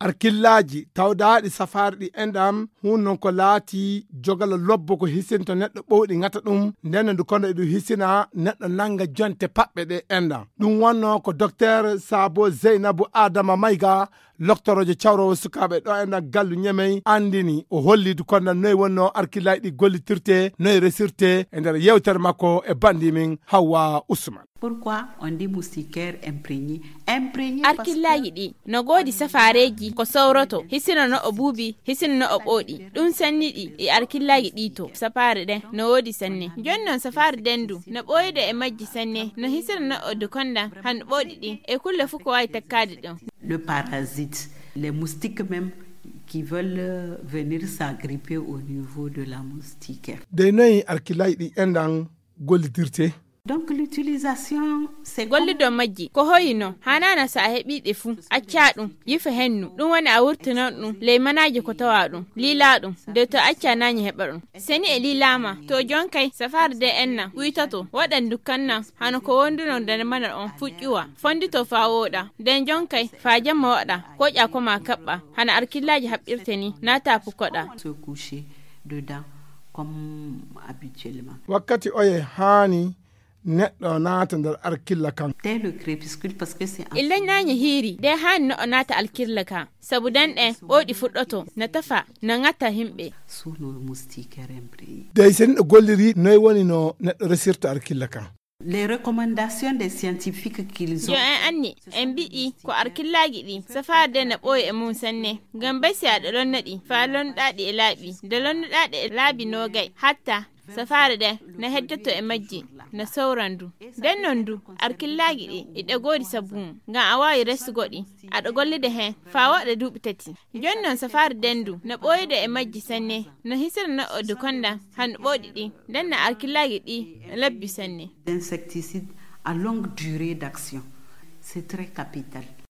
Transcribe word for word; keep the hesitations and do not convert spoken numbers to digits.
Arkillaaji tawdaaɗi safaari ɗi enɗam hun non ko laati jogala lobbo ko hisinto neɗɗo ɓowɗi ŋata ɗum, nden no ndu kono eɗum hisina neɗɗo nannga jonte paɓɓe ɗe enɗam. Ɗum wonno ko Dokteer Saabo Zeynabu Adama Mayga, loktoroojo cawroowo sukaaɓe ɗo enɗam gallu Ñemey, anndini o holli du konda noy wonno arkillaaji ɗi gollitirte, noy resirte e nder yewtere makko e banndi min Hawwa Usman. Pourquoi on dit moustiquaire imprégné? Imprégné parce que arkillaaji ɗi no goodi safaareeji ko sowroto, hisina no o buubi, hisina no o ɓooɗi. Ɗum sanni ɗi e arkillaaji ɗi to safaare ɗen no woodi sanne. Jooni non safaare dendu no ɓooyude e majji sanne, no hisina no o dukonda han ɓooɗi ɗi e kulle fof ko waawi takkaade ɗum. Le parasite, les moustiques même qui veulent euh, venir s'agripper au niveau de la moustiquaire. Dey noyi arkillaaji ɗi enɗam gollidirte? Donc l'utilisation, c'est comme gollido majji ko hoyino hanana sa a heɓi ɗe fuu, acca ɗum, yifa hennu, ɗum woni a wurtinon ɗum ley manaaji ko tawa ɗum, liila ɗum, de to acca nañi heɓa ɗum. Seni e liilaama to jonkay safaare de enna wuytato waɗan dukkanna hano ko wonduno nder mana on fuƴƴuwa, fondito faa wooɗa, nden jonkay faa jamma waɗa, koƴa ko ma kaɓɓa hana arkillaaji haɓɓirte ni, naata pukkoɗa. Se coucher dedans comme habituellement. Wakkati oye haani neɗɗo naata nder arkilla kan? Dès le crépuscule, parce que c'est en illa nañi hiiri de haani no o naata alkirla ka, sabu den ɗen ɓooɗi fuɗɗoto na tafa na ŋatta himɓe. Sous nos moustiquaires imprégné. Dey so neɗɗo golliri noy woni no neɗɗo resirta arkilla kan? Les recommandations des scientifiques qu'ils ont. Yo en anni en mbiɗi ko arkillaaji ɗi safaade na ɓooyi e mum sanne, ngam bay si aɗa lonna ɗi faa lonnuɗaa ɗi e laaɓi, nde lonnuɗaa ɗi e laabi noogay hatta safaare ɗen na heddoto e majji, na sowran du. Nden non du arkillaaji ɗi iɗa goodi sabu mum ngam a waawi resugo ɗi, aɗa gollude heen faa waɗa duuɓi tati. Jooni non safaare dendu no ɓooyude e majji sanne, no hisira no o dukonda han ɓooɗi ɗi, nden na arkillaaji ɗi labbi sanne. Insecticides à longue durée d'action, c'est très capital.